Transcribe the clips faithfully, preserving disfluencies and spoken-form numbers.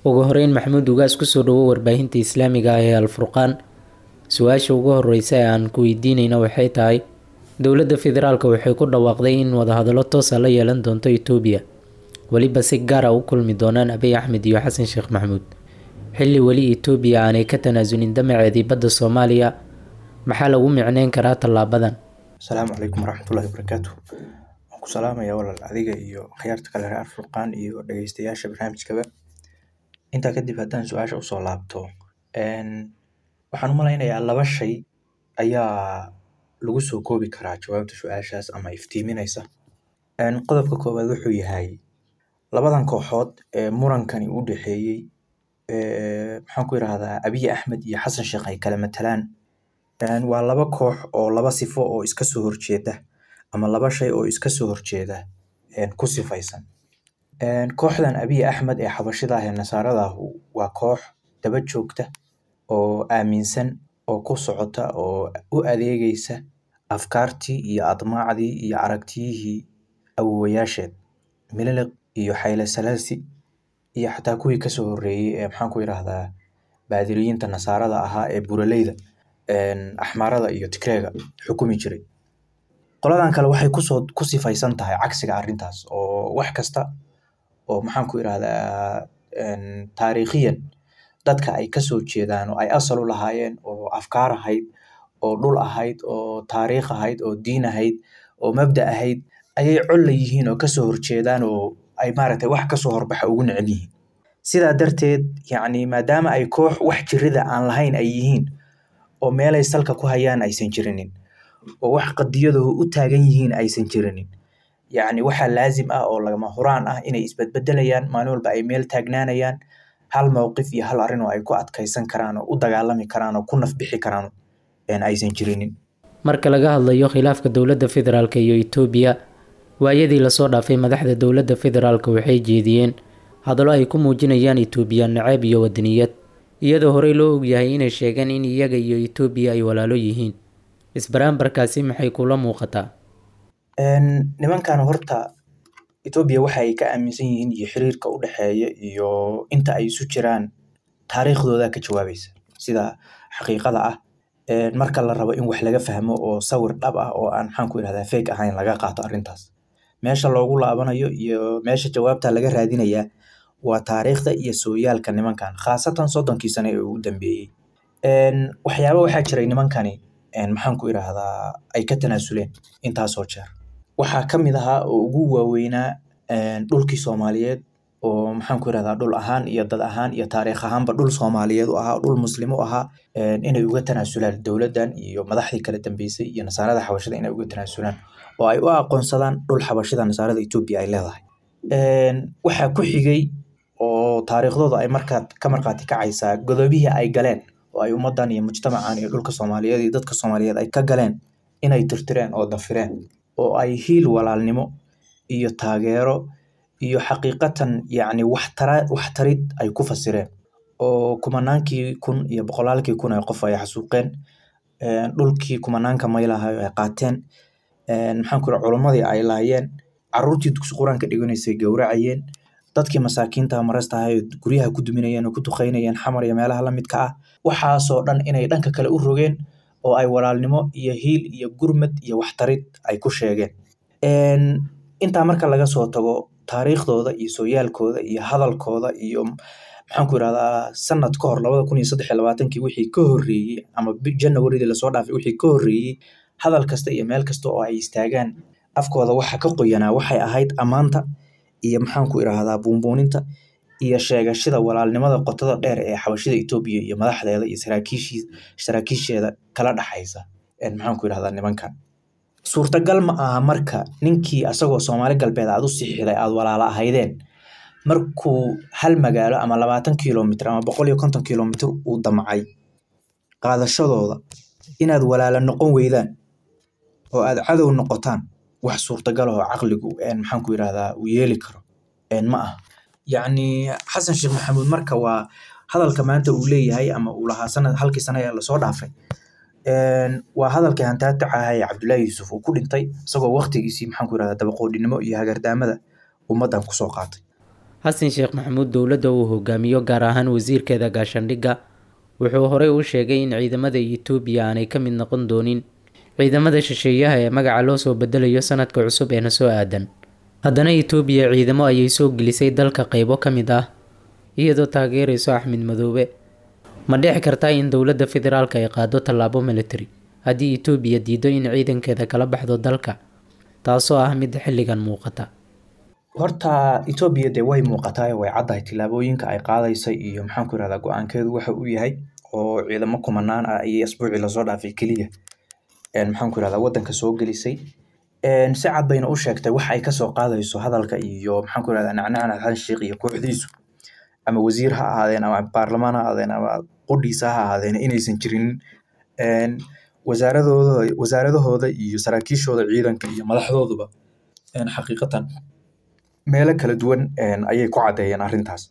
Ugu horeyn, Maxamuud Ugaas, kusoo dhawo warbaahinta islaamiga ah ee Alfurqaan. Su-aasha ugu horeysa ee aan ku weydiineyna waxay tahay, dowladda federaalka waxay ku dhawaaqday in wadahadallo toos ah la yeelan doonto Itoobiya, weliba si gaar ah u kulmi doonaan Abiy Axmed iyo Xasan Sheekh Maxamuud, xilli weli Itoobiya aanay ka tanaasulin damaceedii badda Soomaaliya. Maxaa lagu micneyn karaa tallaabadan? Asalaamu calaykum waraxmatullahi wabarakaatu. Waan ku salaamayaa walaal, adiga iyo khiyaarta kale reer Alfurqaan iyo dhegeystayaasha barnaamijkaba. Intaa kadib, haddaan su-aasha usoo laabto, waxaan u malaynayaa laba shay ayaa lagu soo koobi karaa jawaabta su-aashaas ama iftiiminaysa. Qodobka koowaad wuxuu yahay labadan kooxood ee murankani u dhexeeyey, maxaan ku yiraahdaa, Abiy Axmed iyo Xasan Sheekh ay kala matalaan, waa laba koox oo laba sifo oo iska soo horjeeda ama laba shay oo iska soo horjeeda ku sifaysan. Kooxdan Abiy Axmed ee xabashida ah ee nasaarada ahu waa koox daba joogta oo aaminsan oo ku socota oo u adeegaysa afkaartii iyo admaacdii iyo aragtiyihii awowayaasheed Mililiq iyo Xayle Salaasi iyo xataa kuwii kasoo horreeyey ee, maxaan ku yiraahdaa, baadiriyiinta nasaarada ahaa ee buraleyda Axmaarada iyo Tigreega xukumi jiray. Qoladan kale waxay kusoo ku sifaysan tahay cagsiga arrintaas, oo wax kasta oo, maxaan ku yiraahdaa, taariikhiyan dadka ay kasoo jeedaan oo ay asal u lahaayeen, oo afkaar ahayd, oo dhul ahayd, oo taariikh ahayd, oo diin ahayd, oo mabda ahayd, ayay col la yihiin oo kasoo horjeedaan oo ay maaragtay wax kasoo horbaxa ugu neceb yihiin. Sidaa darteed, yacni, maadaama ay koox wax jirida aan lahayn ay yihiin oo meelay salka ku hayaan aysan jirinin oo wax qadiyadooda u taagan yihiin aysan jirinin, yacni waxaa laazim ah oo lagama huraan ah inay isbedbedelayaan maalin walba, ay meel taagnaanayaan, hal mowqif iyo hal arrin oo ay ku adkaysan karaan oo u dagaalami karaan oo ku nafbixi karaan aysan jirinin. Marka laga hadlayo khilaafka dowladda federaalka iyo Itoobiya, waayadii lasoo dhaafay madaxda dowladda federaalka waxay jeediyeen hadallo ay ku muujinayaan Itoobiya naceeb iyo wadaniyad, iyadoo horey loo ogyahay inay sheegeen in iyaga iyo Itoobiya ay walaalo yihiin. Isbaraambarkaasi maxay kula muuqataa? Nimankan horta Itoobiya waxa ay ka aaminsan yihiin iyo xiriirka u dhexeeya iyo inta ay isu jiraan taariikhdooda ka jawaabaysa sida xaqiiqada ah. Marka la rabo in wax laga fahmo oo sawir dhab ah oo aan, maxaan ku yirahdaa, fake ahayn laga qaato arrintaas, meesha loogu laabanayo iyo meesha jawaabta laga raadinayaa waa taariikhda iyo sooyaalka nimankan, khaasatan soddonkii sano ee ugu dambeeyey. Waxyaaba waxaa jiray nimankani, maxaan ku yiraahdaa, ay ka tanaasuleen intaasoo jeer. Waxaa ka mid ahaa oo ugu waaweynaa dhulkii Soomaaliyeed oo, maxaan ku yirahdaa, dhul ahaan iyo dad ahaan iyo taariikh ahaanba dhul Soomaaliyeed u ahaa, dhul muslim u ahaa, inay uga tanaasulaan dowladdan iyo madaxdii kala dambeysay iyo nasaarada xabashida, inay uga tanaasulaan oo ay u aqoonsadaan dhul xabashida nasaarada Itoobiya ay leedahay. Waxaa ku xigay oo taariikhdooda ay markaa ka markhaati kacaysaa godobihii ay galeen oo ay ummaddan iyo mujtamacan iyo dhulka Soomaaliyeed iyo dadka Soomaaliyeed ay ka galeen, inay tirtireen oo dafireen oo ay hiil walaalnimo iyo taageero iyo xaqiiqatan, yacni, waxtara waxtarid ay ku fasireen, oo kumanaankii kun iyo boqolaalkii kun ee qof ay xasuuqeen, dhulkii kumanaanka maylaha ay qaateen, maxaan ku culimmadii ay laayeen, carruurtii dugsi qur-aanka dhiganaysay gowracayeen, dadkii masaakiinta marasta ahay guryaha ku duminayeen oo ku duqeynayeen Xamar iyo meelaha la midka ah, waxaasoo dhan inay dhanka kale u rogeen oo ay walaalnimo iyo hiil iyo gurmad iyo waxtarid ay ku sheegeen. Intaa marka laga soo tago, taariikhdooda iyo sooyaalkooda iyo hadalkooda iyo, maxaan ku yirahdaa, sanad ka hor labada kun iyo saddex iyo labaatankii wixii ka horreeyey ama Janawaridii lasoo dhaafay wixii ka horreeyey, hadal kasta iyo meel kasta oo ay istaagaan afkooda waxa ka qoyanaa waxay ahayd ammaanta iyo, maxaan ku irahdaa, buunbuuninta iyo sheegashada walaalnimada qotada dheer ee xabashida Itoobiya iyo madaxdeeda iyo saraakiishii saraakiisheeda kala dhaxaysa, maxaan ku yirahdaa, nimankan. Suurtagal ma aha marka ninkii asagoo Soomaali Galbeed aad u sixiday aad walaala ahaydeen, markuu hal magaalo ama labaatan kilomitr ama boqol iyo konton kilomitr uu damcay qaadashadooda, inaad walaala noqon weydaan oo aad cadow noqotaan. Wax suurtagal oo caqligu, maxaan ku yirahdaa, uu yeeli karo ma aha. Yacni, Xasan Sheekh Maxamuud marka waa hadalka maanta uu leeyahay ama uu lahaa sanad halkii sano ee lasoo dhaafay, waa hadalkii hantaataca ahaa ee Cabdullaahi Yuusuf uu ku dhintay, isagoo waqtigiisii, maxaan ku yirahdaa, dabaqoodhinimo iyo hagardaamada ummaddan kusoo qaatay. Xasan Sheekh Maxamuud dowladda uu hogaamiyo, gaar ahaan wasiirkeeda gaashaandhigga, wuxuu horey u sheegay in ciidamada Itoobiya aanay ka mid noqon doonin ciidamada shisheeyaha ee magaca loo soo bedelayo sanadka cusub ee na soo aadan. Haddana Itoobiya ciidamo ayay soo gelisay dalka qaybo ka mid ah, iyadoo taageerayso Axmed Madoobe. Ma dhici kartaa in dowladda federaalka ay qaado tallaabo military haddii Itoobiya diido in ciidankeeda kala baxdo dalka, taasoo ah mid xilligan muuqata? Horta Etoobiya dee way muuqataa, way caddahay tillaabooyinka ay qaadaysa iyo maxaan ku irahdaa go-aankeedu waxa uu yahay, oo ciidamo kumanaan ah ayay asbuucii lasoo dhaafay keliya maxaan ku irahdaa wadanka soo gelisay. Si cad bayna u sheegtay wax ay kasoo qaadayso hadalka iyo maxaan ku irahdaa nacnacna Xasan Sheikh iyo kooxdiisu, ama wasiir ha ahaadeen ama baarlamaan ha ahaadeen ama qudhiisa ha ahaadeen, inaysan jirin. Wasaaradooda wasaaradahooda iyo saraakiishooda ciidanka iyo madaxdooduba xaqiiqatan meelo kala duwan ayay ku caddeeyeen arrintaas.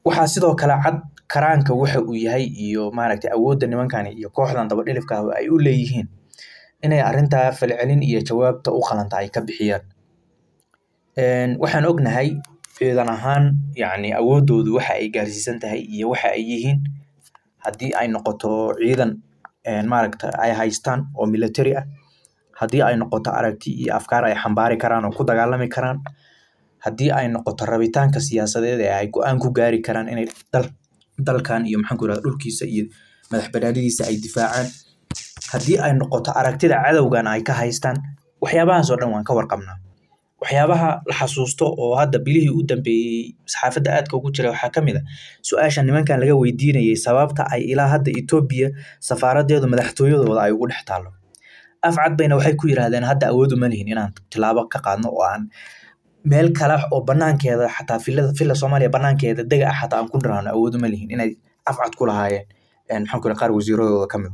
Waxaa sidoo kale cad karaanka waxa uu yahay iyo maaragtay awoodda nimankani iyo kooxdan dabadhilifka ah ay u leeyihiin inay arrintaa falcelin iyo jawaabta u qalanta ay ka bixiyaan. Waxaan ognahay ciidan ahaan yacni awooddoodu waxa ay gaarsiisan tahay iyo waxa ay yihiin haddii ay noqoto ciidan maaragta ay haystaan oo military ah, haddii ay noqoto aragti iyo afkaar ay xambaari karaan oo ku dagaalami karaan, haddii ay noqoto rabitaanka siyaasadeed ee ay go-aan ku gaari karaan inay dal dalkan iyo maxaan ku irahdaa dhulkiisa iyo madax banaanidiisa ay difaacaan, haddii ay noqoto aragtida cadowgan ay ka haystaan, waxyaabahaas oo dhan waan ka warqabnaa. Waxyaabaha la xasuusto oo hadda bilihii u dambeeyey saxaafadda aadka ugu jira waxaa ka mid ah su-aasha nimankan laga weydiinayay sababta ay ilaa hadda Etoobiya safaaradeedu madaxtooyadooda ay ugu dhex taallo. Af cad bayna waxay ku yiraahdeen hadda awood uma lihin inaan tilaabo ka qaadno oo aan meel kale oo banaankeeda xataa villada villa Soomaaliya banaankeeda dega ah xataa aan ku niraahno awood uma lihin, inay af cad ku lahaayeen maxaan ku qaar wasiiradooda ka mid.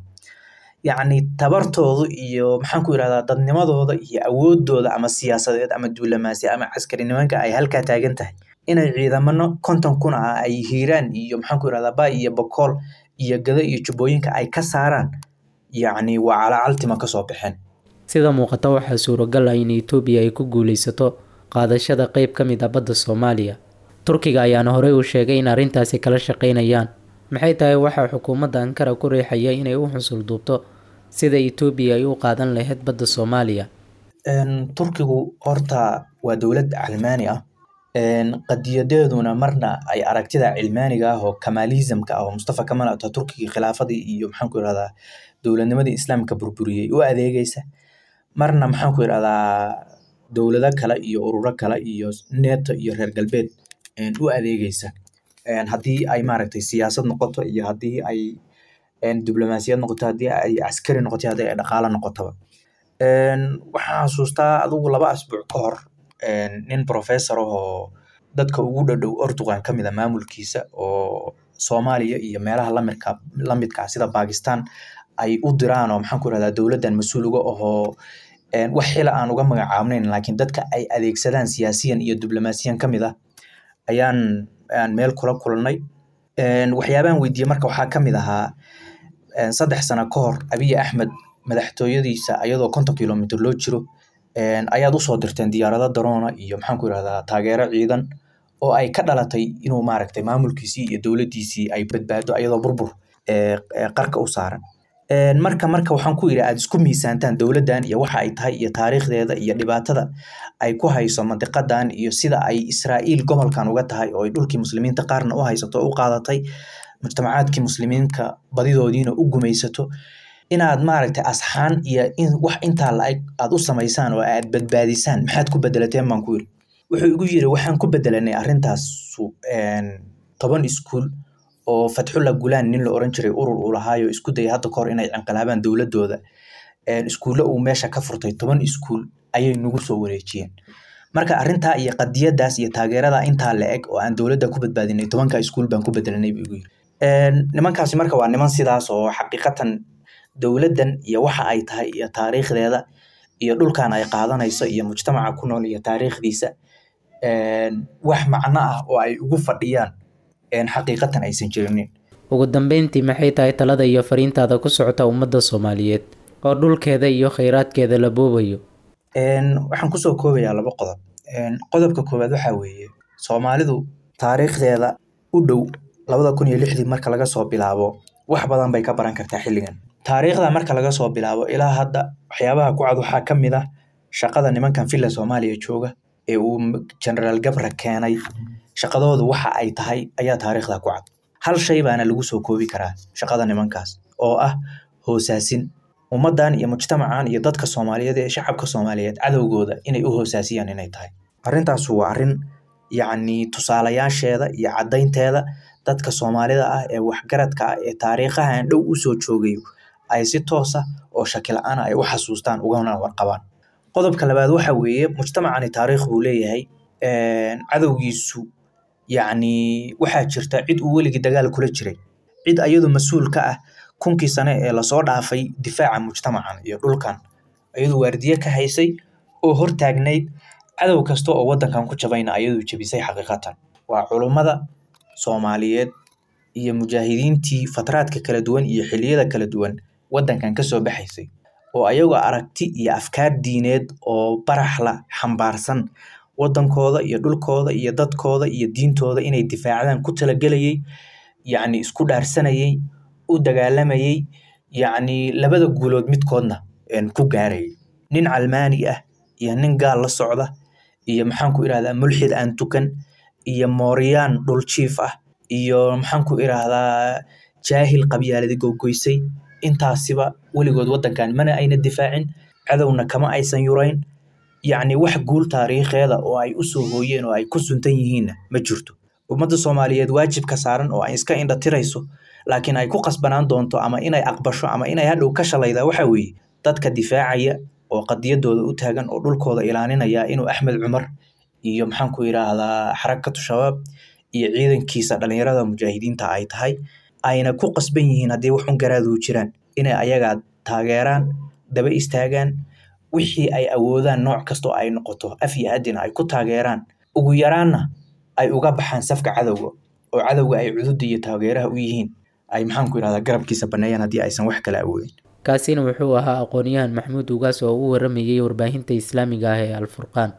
Yacni tabartoodu iyo maxaan ku irahdaa dadnimadooda iyo awoodooda ama siyaasadeed ama duulamaasi ama caskari nimanka ay halkaa taagan tahay inay ciidamano konton kun ah ay Hiiraan iyo maxaan ku irahdaa Bay iyo Bokool iyo Gado iyo Jubbooyinka ay ka saaraan, yacni waa calacaltima kasoo baxeen. Sida muuqata waxaa suuragal ah in Itoobiya ay ku guuleysato qaadashada qayb ka mid ah badda Soomaaliya. Turkiga ayaana horey u sheegay in arrintaasi kala shaqeynayaan. Maxay tahay waxaa xukuumadda Ankara ku riixaya inay u xusul duubto sida Itoobiya ay u qaadan lahayd badda Soomaaliya? Turkigu horta waa dowlad calmaani ah, qadiyadeeduna marna ay aragtida cilmaaniga ah oo kamaalismka ah oo Mustafa Kamal Ataturkigii khilaafadii iyo maxaan ku irahdaa dowladnimadii islaamka burburiyey u adeegaysa, marna maxaan ku irahdaa dowlado kale iyo ururo kale iyo NATO iyo reer galbeed u adeegaysa, haddii ay maaragtay siyaasad noqoto iyo haddii ay diblomaasiyad noqoto, haddii ay caskari noqoto, haddii ay dhaqaale noqotoba. Waxaan xasuustaa adigu laba asbuuc ka hor nin professor ahoo dadka ugu dhadhow Erdogan ka mid ah maamulkiisa oo Soomaaliya iyo meelaha lamidka lamidka ah sida Pakistan ay u diraan oo maxaan ku irahdaa dowladdan mas-uul uga ahoo wax xila aan uga magacaabnayn, laakiin dadka ay adeegsadaan siyaasiyan iyo diblomaasiyan ka mid ah ayaan ayaan meel kula kulannay. Waxyaabahan weydiiyey marka waxaa ka mid ahaa saddex sano ka hor Abiy Axmed madaxtooyadiisa ayadoo konton kilomitir loo jiro ayaad usoo dirteen diyaarado daroona iyo maxaan ku irahdaa taageero ciidan oo ay ka dhalatay inuu maaragtay maamulkiisii iyo dowladdiisii ay badbaado ayadoo burbur qarka u saaran. Marka marka waxaan ku yidhi aad isku miisaantaan dowladdan iyo waxa ay tahay iyo taariikhdeeda iyo dhibaatada ay ku hayso mandiqadan iyo sida ay Israa'iil gobolkan uga tahay oo ay dhulkii muslimiinta qaarna u haysato oo u qaadatay, mujtamacaadkii muslimiinka badidoodiina u gumaysato, inaad maaragtay asxaan iyo in wax intaa la-eg aad u samaysaan oo aad badbaadisaan, maxaad ku bedelateen baan ku yidhi. Wuxuu igu yidhi waxaan ku bedelanay arrintaasu toban iskuul oo Fatxullah Gulaan nin la oran jiray urur uu lahaayo isku dayay hadda kahor inay inqilaabaan dowladooda, iskuulle uu meesha ka furtay toban iskuul ayay nagu soo wareejiyeen. Marka arrintaa iyo qadiyadaas iyo taageerada intaa la eg oo aan dowladda ku badbaadinay tobanka iskuul baan ku bedelanay buu igu yidhi. Nimankaasi marka waa niman sidaas oo xaqiiqatan dowladdan iyo waxa ay tahay iyo taariikhdeeda iyo dhulkan ay qaadanayso iyo mujtamaca ku nool iyo taariikhdiisa wax macno ah oo ay ugu fadhiyaan xaqiiqatan aysan jirinin. Ugu dambeyntii, maxay tahay talada iyo fariintaada ku socota ummadda Soomaaliyeed oo dhulkeeda iyo kheyraadkeeda la boobayo? Waxaan kusoo koobayaa laba qodob. Qodobka koowaad waxaa weeye Soomaalidu taariikhdeeda u dhow labada kun iyo lixdii marka laga soo bilaabo wax badan bay ka baran kartaa xilligan. Taariikhda marka laga soo bilaabo ilaa hadda waxyaabaha ku cad waxaa ka mid ah shaqada nimankan Villa Soomaaliya jooga ee uu Generaal Gabra keenay, shaqadoodu waxa ay tahay ayaa taariikhda ku cad. Hal shay baana lagu soo koobi karaa shaqada nimankaas oo ah hoosaasin ummaddan iyo mujtamacan iyo dadka Soomaaliyeed ee shacabka Soomaaliyeed cadowgooda inay u hoosaasiyaan inay tahay. Arrintaas waa arrin yacni tusaalayaasheeda iyo caddaynteeda dadka Soomaalida ah ee waxgaradka ah ee taariikhahan dhow u soo joogayo ay si toos ah oo shaki la'aan ah ay u xasuustaan ugana warqabaan. Qodobka labaad waxa weeye mujtamacani taariikh buu leeyahay, cadowgiisu yacni waxaa jirta cid uu weligii dagaal kula jiray, cid ayadu mas-uul ka ah kunkii sane ee lasoo dhaafay difaaca mujtamacan iyo dhulkan, ayadu waardiye ka haysay oo hortaagnayd cadow kasta oo wadankan ku jabayna ayadu jebisay xaqiiqatan. Waa culummada Soomaaliyeed iyo mujaahidiintii fatraadka kala duwan iyo xilliyada kala duwan wadankan ka soo baxaysay oo ayagoo aragti iyo afkaar diineed oo baraxla xambaarsan wadankooda iyo dhulkooda iyo dadkooda iyo diintooda inay difaacdaan ku talagelayay, yacni isku dhaarsanayay, u dagaalamayay, yacni labada guulood midkoodna ku gaarayay. Nin calmaani ah iyo nin gaal la socda iyo maxaan ku iraahdaa mulxid aan tukan iyo mooriyaan dhul jiif ah iyo maxaan ku iraahdaa jaahil qabyaaladi gogoysay, intaasiba weligood wadankan mana ayna difaacin, cadowna kama aysan yurayn. Yacni wax guul taariikheeda oo ay u soo hooyeen oo ay ku suntan yihiinna ma jirto. Ummadda Soomaaliyeed waajibka saaran oo ay iska indha tirayso laakiin ay ku qasbanaan doonto ama inay aqbasho ama inay hadhow ka shalaydaa waxa weeye dadka difaacaya oo qadiyadooda u taagan oo dhulkooda ilaalinaya inuu Axmed Cumar iyo maxaan ku iraahdaa Xarakatu Shabaab iyo ciidankiisa dhalinyarada mujaahidiinta ay tahay, ayna ku qasban yihiin haddii wax un garaadu jiraan inay ayaga taageeraan, daba istaagaan, wixii ay awoodaan nooc kasta oo ay noqoto af iyo adina ay ku taageeraan, ugu yaraanna ay uga baxaan safka cadowga oo cadowga ay cududa iyo taageeraha u yihiin ay maxaan ku iraahdaa garabkiisa baneeyaan haddii aysan wax kale awoodin. Kaasina wuxuu ahaa aqoonyahan Maxamuud Ugaas oo u waramayay warbaahinta Islaamiga ah ee Al-Furqaan.